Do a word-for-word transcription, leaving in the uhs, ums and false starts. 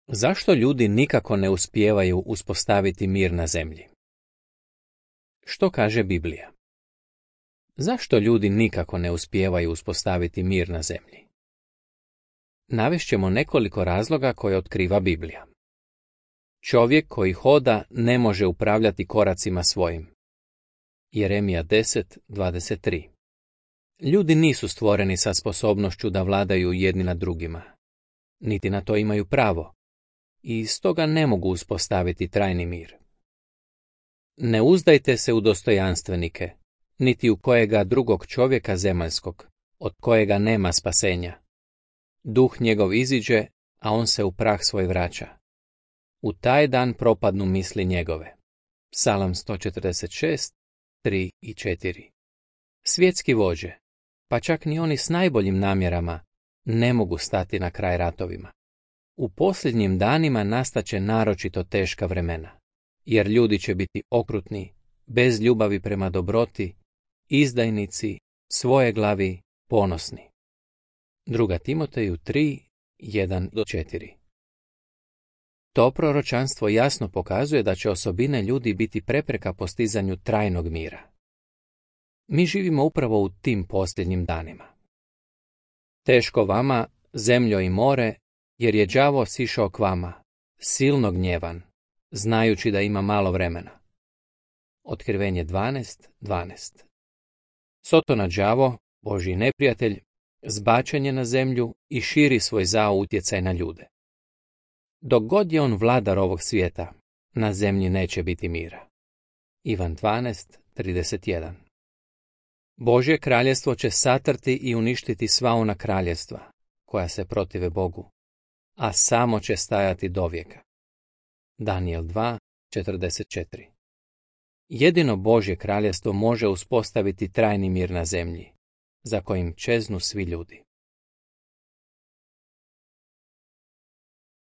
Zašto ljudi nikako ne uspijevaju uspostaviti mir na zemlji? Što kaže Biblija? Zašto ljudi nikako ne uspijevaju uspostaviti mir na zemlji? Navešćemo nekoliko razloga koje otkriva Biblija. Čovjek koji hoda ne može upravljati koracima svojim. Jeremija deset dvadeset tri. Ljudi nisu stvoreni sa sposobnošću da vladaju jedni nad drugima. Niti na to imaju pravo. I stoga ne mogu uspostaviti trajni mir. Ne uzdajte se u dostojanstvenike, niti u kojega drugog čovjeka zemaljskog, od kojega nema spasenja. Duh njegov iziđe, a on se u prah svoj vraća. U taj dan propadnu misli njegove. Psalam sto četrdeset šest, tri i četiri. Svjetski vođe, pa čak ni oni s najboljim namjerama, ne mogu stati na kraj ratovima. U posljednjim danima nastaće naročito teška vremena, jer ljudi će biti okrutni, bez ljubavi prema dobroti, izdajnici, svojeglavi, ponosni. Druga Timoteju tri, jedan do četiri. To proročanstvo jasno pokazuje da će osobine ljudi biti prepreka postizanju trajnog mira. Mi živimo upravo u tim posljednjim danima. Teško vama, zemljo i more, jer je đavo sišao k vama, silno gnjevan, znajući da ima malo vremena. Otkrivenje dvanaest dvanaest. Sotona đavo, Božji neprijatelj, zbačen je na zemlju i širi svoj zao utjecaj na ljude. Dok god je on vladar ovog svijeta, na zemlji neće biti mira. Ivan dvanaest trideset jedan. Božje kraljestvo će satrti i uništiti sva ona kraljestva, koja se protive Bogu, a samo će stajati dovijeka. Danijel dva četrdeset četiri. Jedino Božje kraljestvo može uspostaviti trajni mir na zemlji, za kojim čeznu svi ljudi.